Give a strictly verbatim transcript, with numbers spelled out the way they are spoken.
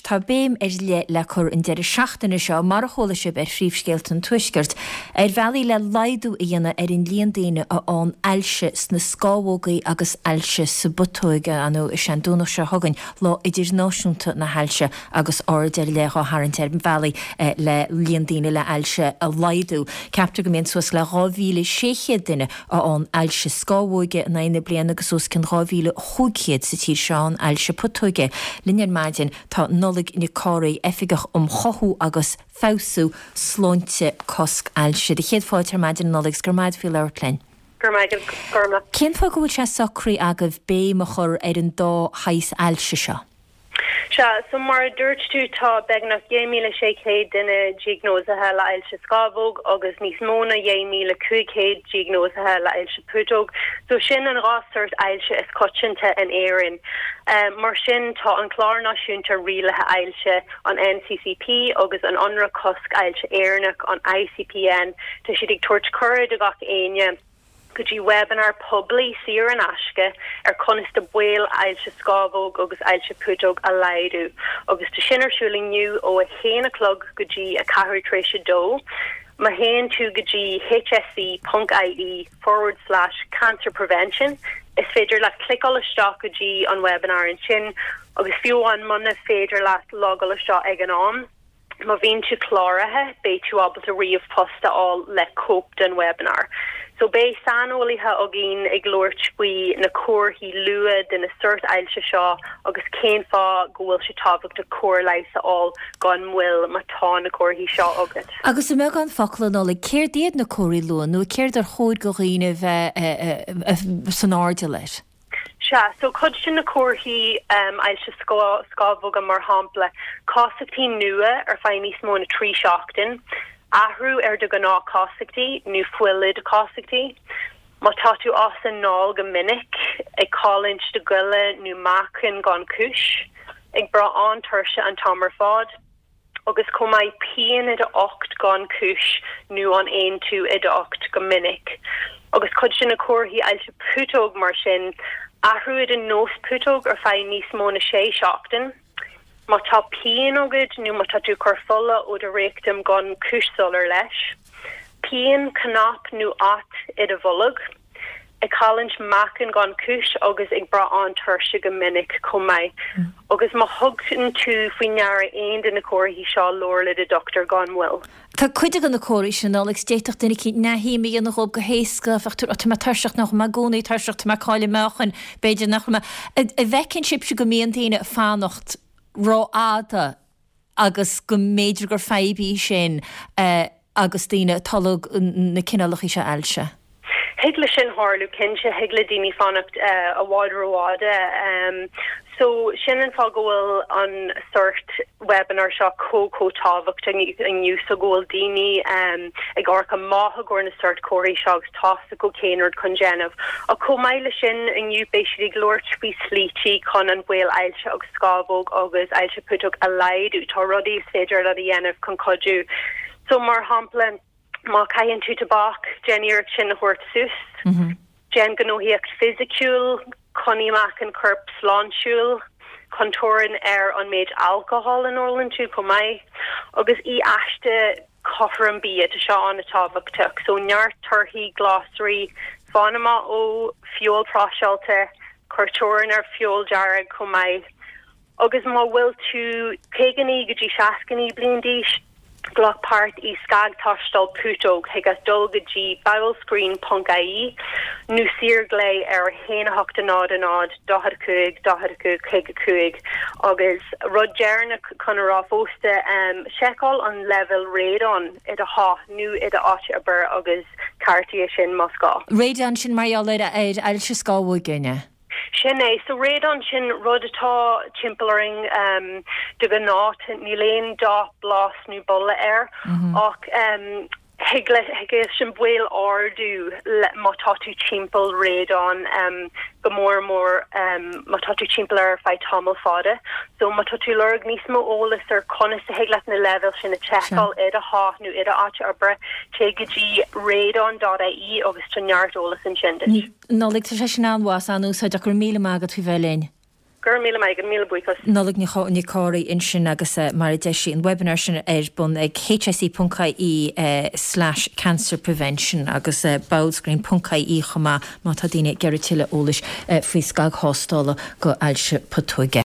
tá béim ar leith le cur an deireadh seachtaine seo, mar a chuala sibh ar Phríomhscéalta an Tuaiscirt, ar bhealaí le laghdú a dhéanamh ar an líon daoine a fhaigheann ailse sna scamhógaí agus ailse sa bputóig. Ar ndóigh, is é an Domhnach seo chugainn Lá Idirnáisiúnta na hAilse agus aird ar leith á tharraingt ar bhealaí le líon daoine le hailse a laghdú. Ceaptar go mbíonn suas le dhá mhíle sé chéad duine a fhaigheann ailse scamhóige in aghaidh na bliana agus os cionn dhá mhíle chúig chéad sa tír seo a fhaigheann ailse putóige. Linn ar maidin tá Nollaig Nic Cárthaigh, Oifigeach um Chothú agus Feabhsú Sláinte Cosc Ailse. Do chéad fáilte ar maidin, a Nollaig, 's go raibh maith agat faoi labhairt linn. Go raibh maith agat, Gormlaith. Cén fáth go bhfuil sé socraithe agaibh béim a chur ar an dá shaghas ailse seo? Sea, so mar a dúirt tú tá beagnach dhá mhíle sé chéad duine diagnóisithe le ailse scamhóg agus níos mó ná dhá mhíle cúig chéad diagnóisithe le ailse putóg. So sin an dhá sort ailse is coitianta in Éirinn. Mar sin tá an Clár Náisiúnta Rialaithe Ailse, an NCCP, agus an Ionradh Cosc Ailse Éireannach, an ICPN, tá siad ag tabhairt cuireadh do gach éinne, go dtí webinar poiblí saor in aisce ar conas do baol ailse scamhóg agus ailse putóg a laghdú agus tá sin ar siúl inniu ó a haon a chlog go dtí a ceathrú tar éis a dó. Má théann tú go dtí hse ponc ie forward slash cancer prevention is féidir leat cliceáil isteach go dtí an webinar ansin agus fiú amháin muna féidir leat logáil isteach ag an am, Má bhíonn tú cláraithe, beidh tú ábalta ríomhphost a fháil le cóip den webinar. So beidh saineolaithe againn ag labhairt faoi na comharthaí luath de na sórt ailse seo agus cén fáth go bhfuil sé tábhachtach cóir leighis a fháil gan mhoill má tá na comharthaí seo agat. Agus i mbeagán focal, a Nollaig, céard iad na comharthaí luath nó céard ar chóir do dhaoine a bheith san airdeall air? Sea, so cuid de na comharthaí ailse scamhóga mar shampla, casachtaí nua ar feadh níos mó na trí seachtain, athrú ar do ghnáthchasachtaí nó fuil i do chasachtaí, má tá tú as anáil go minic, ag cailliúint do ghoile nó meáchain gan chúis, ag brath an-tuirse an t-am ar fad. agus chomh maith pian i d'ucht gan chúis nó an aontú i d'ucht go minic. Agus cuid de na comharthaí ailse putóg mar sin, athrú i do nós putóg ar feadh níos mó na sé seachtain, má tá pian agat nó má tá tú ag cur fola ó do reicteam gan cúis soiléir leis, pian, cnap nó at i do bholg. ag cailliúint meáchain gan chúis agus ag brath an-tuirse go minic chomh maith. Agus má thugann tú faoi ndeara aon de na comharthaí seo, labhair le do dhochtúir gan mhoill. Tá cuid de na comharthaí sin, a Nollaig, d'fhéadfadh duine eicínt neamhshuim a dhéanamh dhóibh go héasca, bheadh tú, tá mé tuirseach, nach raibh mé i gcónaí tuirseach, tá mé ag cailleadh meáchain, b'fhéidir nach raibh mé. An bhfeiceann sibhse go mbíonn daoine ag fanacht rófhada agus go mb'fhéidir gur fadhb í sin agus daoine ag tolg na cineálacha seo ailse. Thig le sin tharlú, cinnte. Thig le daoine fanacht i bhfad rófhada. So, sin an fáth go bhfuil an sórt webinar seo chomh chomh tábhachtach inniu, so go bhfuil daoine ag amharc amach i gcomhair na sórt comharthaí seo agus tá a fhios acu cén rud chun déanamh. Ach chomh maith le sin, inniu beidh siad ag labhairt faoi slítí chun an baol ailse agus scamhóg agus ailse putóg a laghdú. Tá rudaí is féidir leat a dhéanamh chun cuidiú. So, mar shampla, má chaitheann tú tobac, déan iarracht sin a thabhairt suas. Déan gnóthaíocht fisiciúil, coinnigh meáchan coirp sláintiúil, cuir teorainn ar an méid alcohol a n-ólann tú chomh maith, agus ith aiste cothrom bia, tá seo an-tábhachtach. So, neart torthaí, glasraí, fan amach ó feoil próiseáilte, cuir teorainn ar feoil dearg chomh maith. Agus má bhfuil tú caoga naoi go dtí seasca naoi bliain d'aois, glac páirt i scagthástáil putóg, thig leat dul go dtí bowelscreen ponc ie nó saorghlao ar a haon a hocht a náid a náid daichead a cúig daichead a cúig caoga cúig. Agus rud deireanach chun a rá fosta, seiceáil an leibhéal radon i do theach nó i d'áit oibre agus ceartaigh é sin más gá. Radon, sin mar gheall ar ailse scamhóige, an ea? Sin é. So radon, sin rud atá timpeall orainn de ghnáth. Níl aon dath, blas nó boladh air ach thig le thig leis an baol ardú má tá tú timpeall radon, go mór mór má tá tú timpeall air ar feadh tamall fada. So má tá tú lorg níos mó eolas ar conas a thig leat na leibhéil sin a tseiceáil i do theach nó i d'áit oibre, téigh go dtí radon dot ie agus tá neart eolas ansin duit. Nollaig, tá sé sin an-mhaith, an-úsáideach. Go raibh míle maith agat faoi bheith linn. Go raibh míle maith agat, míle buíochas. Nollaig Nic Cárthaigh ansin agus mar a deir sí an webinar sin ar bun ag H S E ponc I E slash cancer prevention agus bowelscreen ponc I E chomh maith má tá daoine ag iarraidh tuilleadh eolais faoi scagthástála go ailse putóige.